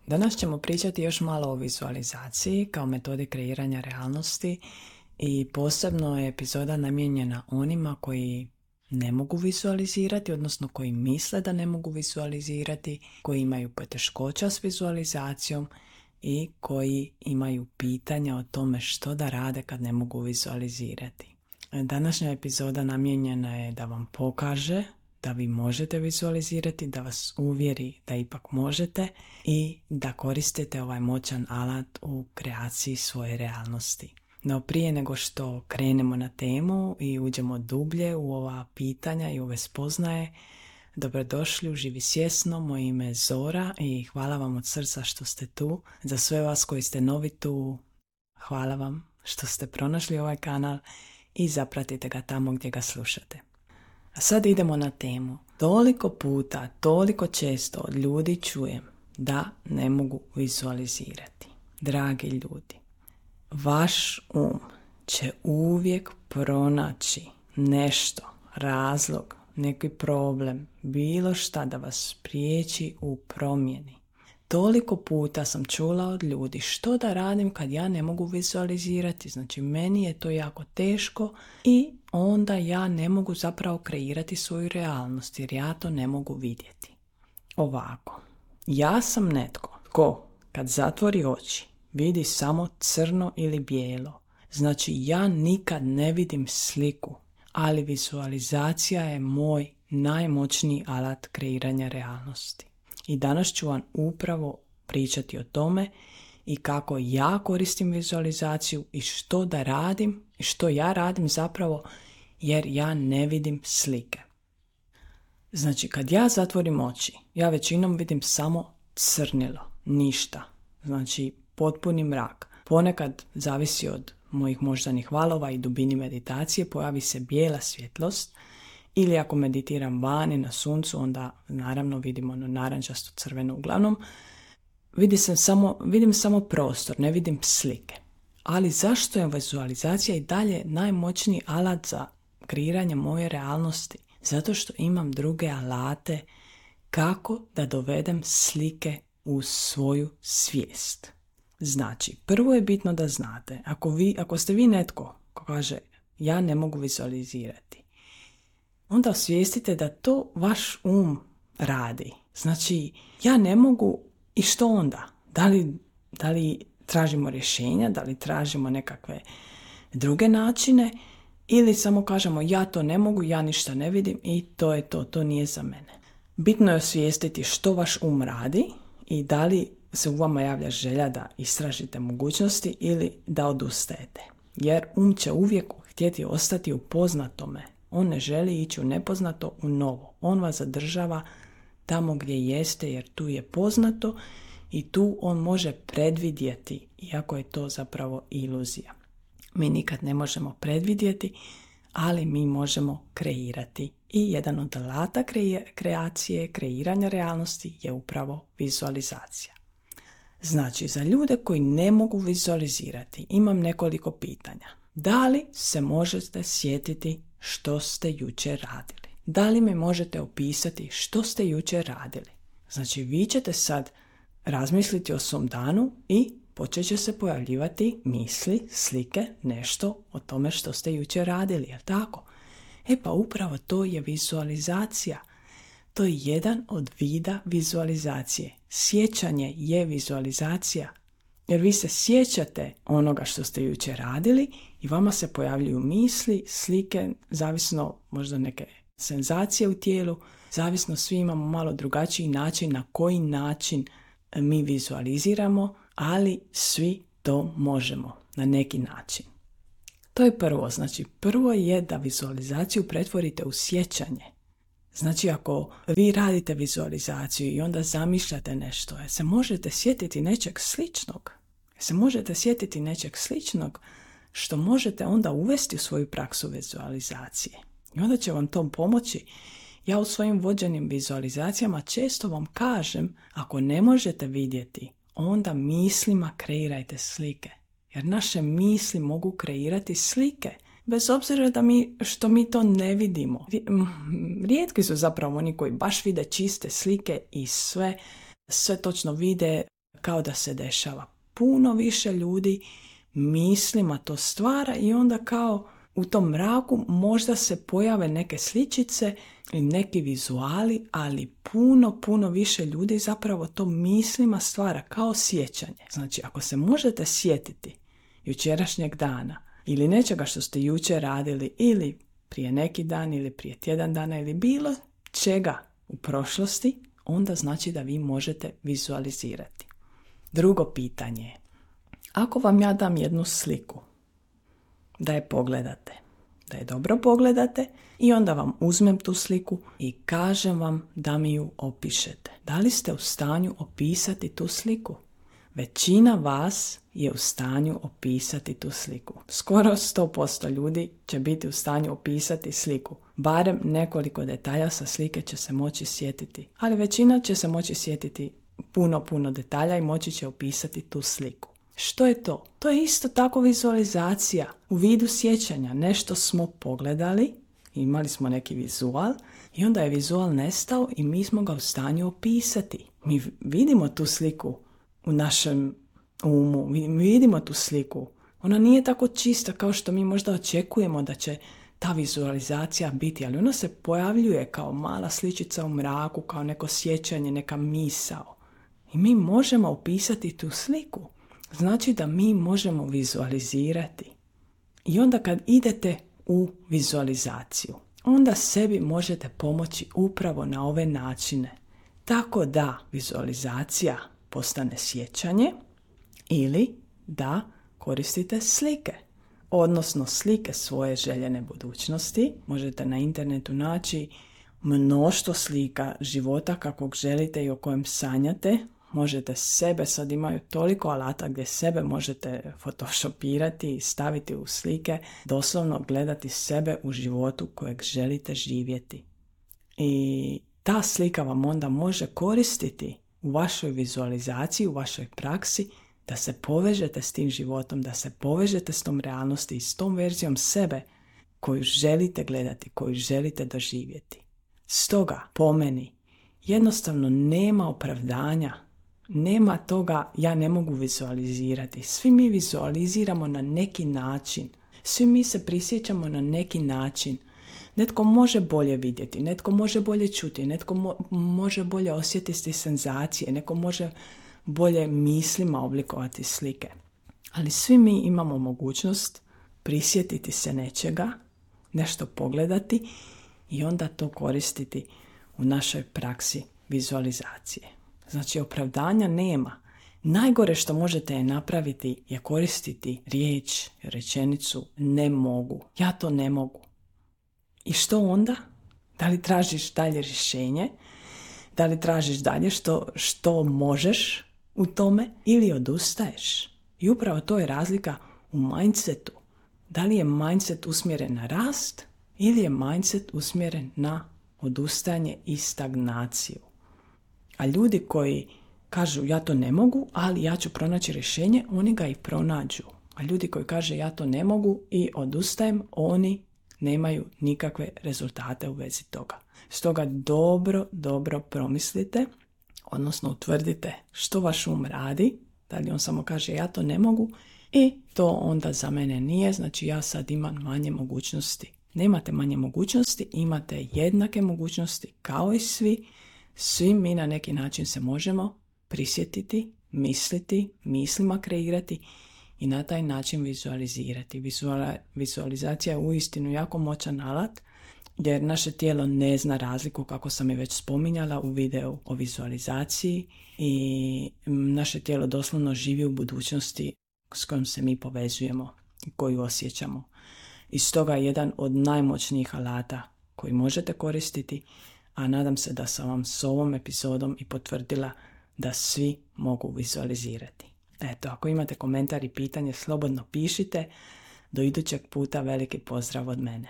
Danas ćemo pričati još malo o vizualizaciji kao metodi kreiranja realnosti i posebno je epizoda namijenjena onima koji ne mogu vizualizirati, odnosno koji misle da ne mogu vizualizirati, koji imaju poteškoća s vizualizacijom i koji imaju pitanja o tome što da rade kad ne mogu vizualizirati. Današnja epizoda namijenjena je da vam pokaže da vi možete vizualizirati, da vas uvjeri da ipak možete i da koristite ovaj moćan alat u kreaciji svoje realnosti. No prije nego što krenemo na temu i uđemo dublje u ova pitanja i ove spoznaje, dobrodošli u Živi svjesno, moje ime je Zora i hvala vam od srca što ste tu. Za sve vas koji ste novi tu, hvala vam što ste pronašli ovaj kanal i zapratite ga tamo gdje ga slušate. A sad idemo na temu. Toliko puta, toliko često od ljudi čujem da ne mogu vizualizirati. Dragi ljudi, vaš će uvijek pronaći nešto, razlog, neki problem, bilo šta da vas spriječi u promjeni. Toliko puta sam čula od ljudi što da radim kad ja ne mogu vizualizirati, znači meni je to jako teško i onda ja ne mogu zapravo kreirati svoju realnost jer ja to ne mogu vidjeti. Ovako, ja sam netko ko kad zatvori oči vidi samo crno ili bijelo, znači ja nikad ne vidim sliku, ali vizualizacija je moj najmoćniji alat kreiranja realnosti. I danas ću vam upravo pričati o tome i kako ja koristim vizualizaciju i što da radim i što ja radim zapravo jer ja ne vidim slike. Znači kad ja zatvorim oči, ja većinom vidim samo crnilo, ništa. Znači potpuni mrak. Ponekad zavisi od mojih moždanih valova i dubini meditacije, pojavi se bijela svjetlost. Ili ako meditiram vani na suncu, onda naravno vidimo ono narančasto crveno uglavnom. Vidim samo prostor, ne vidim slike. Ali zašto je vizualizacija i dalje najmoćniji alat za kreiranje moje realnosti? Zato što imam druge alate kako da dovedem slike u svoju svijest. Znači, prvo je bitno da znate, ako ste vi netko ko kaže ja ne mogu vizualizirati, onda osvijestite da to vaš radi. Znači, ja ne mogu i što onda? Da li tražimo rješenja, da li tražimo nekakve druge načine ili samo kažemo ja to ne mogu, ja ništa ne vidim i to je to nije za mene. Bitno je osvijestiti što vaš radi i da li se u vama javlja želja da istražite mogućnosti ili da odustajete. Jer će uvijek htjeti ostati u poznatome. On ne želi ići u nepoznato, u novo. On vas zadržava tamo gdje jeste jer tu je poznato i tu on može predvidjeti, iako je to zapravo iluzija. Mi nikad ne možemo predvidjeti, ali mi možemo kreirati. I jedan od alata kreacije, kreiranja realnosti je upravo vizualizacija. Znači, za ljude koji ne mogu vizualizirati, imam nekoliko pitanja. Da li se možete sjetiti što ste jučer radili? Da li mi možete opisati što ste jučer radili? Znači, vi ćete sad razmisliti o svom danu i počet će se pojavljivati misli, slike, nešto o tome što ste jučer radili, jel tako? Pa upravo to je vizualizacija. To je jedan od vida vizualizacije. Sjećanje je vizualizacija. Jer vi se sjećate onoga što ste jučer radili i vama se pojavljuju misli, slike, zavisno možda neke senzacije u tijelu, zavisno svi imamo malo drugačiji način na koji način mi vizualiziramo, ali svi to možemo na neki način. To je prvo. Znači, prvo je da vizualizaciju pretvorite u sjećanje. Znači, ako vi radite vizualizaciju i onda zamišljate nešto, se možete sjetiti nečeg sličnog što možete onda uvesti u svoju praksu vizualizacije. I onda će vam to pomoći. Ja u svojim vođenim vizualizacijama često vam kažem, ako ne možete vidjeti, onda mislima kreirajte slike. Jer naše misli mogu kreirati slike. Bez obzira što mi to ne vidimo. Rijetki su zapravo oni koji baš vide čiste slike i sve točno vide kao da se dešava. Puno više ljudi mislima to stvara i onda kao u tom mraku možda se pojave neke sličice i neki vizuali, ali puno više ljudi zapravo to mislima stvara kao sjećanje. Znači, ako se možete sjetiti jučerašnjeg dana ili nečega što ste jučer radili ili prije neki dan ili prije tjedan dana ili bilo čega u prošlosti, onda znači da vi možete vizualizirati. Drugo pitanje je, ako vam ja dam jednu sliku, da je pogledate, da je dobro pogledate i onda vam uzmem tu sliku i kažem vam da mi ju opišete. Da li ste u stanju opisati tu sliku? Većina vas je u stanju opisati tu sliku. Skoro 100% ljudi će biti u stanju opisati sliku. Barem nekoliko detalja sa slike će se moći sjetiti. Ali većina će se moći sjetiti puno detalja i moći će opisati tu sliku. Što je to? To je isto tako vizualizacija u vidu sjećanja. Nešto smo pogledali, imali smo neki vizual i onda je vizual nestao i mi smo ga u stanju opisati. Mi vidimo tu sliku u našem umu, mi vidimo tu sliku. Ona nije tako čista kao što mi možda očekujemo da će ta vizualizacija biti, ali ona se pojavljuje kao mala sličica u mraku, kao neko sjećanje, neka misao. I mi možemo opisati tu sliku. Znači da mi možemo vizualizirati. I onda kad idete u vizualizaciju, onda sebi možete pomoći upravo na ove načine. Tako da vizualizacija postane sjećanje ili da koristite slike. Odnosno slike svoje željene budućnosti. Možete na internetu naći mnoštvo slika života kakvog želite i o kojem sanjate. Možete sebe, sad imaju toliko alata gdje sebe možete photoshopirati i staviti u slike, doslovno gledati sebe u životu kojeg želite živjeti. I ta slika vam onda može koristiti u vašoj vizualizaciji, u vašoj praksi, da se povežete s tim životom, da se povežete s tom realnosti i s tom verzijom sebe koju želite gledati, koju želite doživjeti. Stoga, po meni, jednostavno nema opravdanja. Nema toga ja ne mogu vizualizirati. Svi mi vizualiziramo na neki način. Svi mi se prisjećamo na neki način. Netko može bolje vidjeti, netko može bolje čuti, netko može bolje osjetiti senzacije, netko može bolje mislima oblikovati slike. Ali svi mi imamo mogućnost prisjetiti se nečega, nešto pogledati i onda to koristiti u našoj praksi vizualizacije. Znači, opravdanja nema. Najgore što možete napraviti je koristiti riječ, rečenicu ne mogu. Ja to ne mogu. I što onda? Da li tražiš dalje rješenje? Da li tražiš dalje što možeš u tome ili odustaješ? I upravo to je razlika u mindsetu. Da li je mindset usmjeren na rast ili je mindset usmjeren na odustajanje i stagnaciju? A ljudi koji kažu ja to ne mogu, ali ja ću pronaći rješenje, oni ga i pronađu. A ljudi koji kaže ja to ne mogu i odustajem, oni nemaju nikakve rezultate u vezi toga. Stoga dobro promislite, odnosno utvrdite što vaš um radi, da li on samo kaže ja to ne mogu i to onda za mene nije, znači ja sad imam manje mogućnosti. Nemate manje mogućnosti, imate jednake mogućnosti kao i svi. Svi mi na neki način se možemo prisjetiti, misliti, mislima kreirati i na taj način vizualizirati. Vizualizacija je uistinu jako moćan alat jer naše tijelo ne zna razliku, kako sam je već spominjala u videu o vizualizaciji, i naše tijelo doslovno živi u budućnosti s kojom se mi povezujemo i koju osjećamo. I stoga je jedan od najmoćnijih alata koji možete koristiti, a nadam se da sam vam s ovom epizodom i potvrdila da svi mogu vizualizirati. Eto, ako imate komentar i pitanje, slobodno pišite. Do idućeg puta veliki pozdrav od mene.